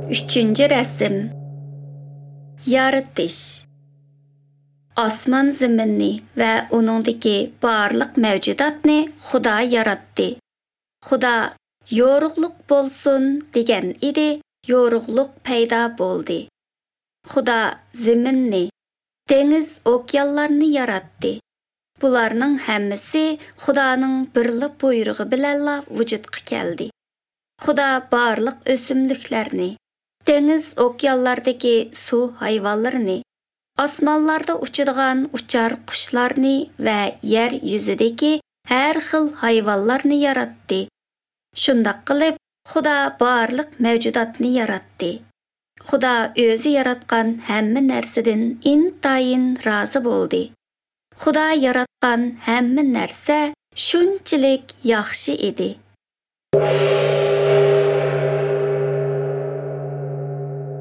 Uchinchi rasm. Yaratish. Osmon zaminni va uningdagi barliq mavjudotni Xudo yaratdi. Xudo "Yorug'liq bo'lsin" degan edi, yorug'liq paydo bo'ldi. Xudo zaminni, dengiz, okeanlarni yaratdi. Bularning hammasi Xudoning birla buyrug'i bilanla vujudga keldi. Xudo barliq o'simliklarni, dengiz, okeanlardagi suv hayvonlarini, osmonlarda uchadigan uchar qushlarni va yer yuzidagi har xil hayvonlarni yaratdi. Shundoq qilib, Xudo barliq mavjudotni yaratdi. Xudo o'zi yaratgan hamma narsadan intayin rozi bo'ldi. Xudo yaratgan hamma narsa shunchalik yaxshi edi.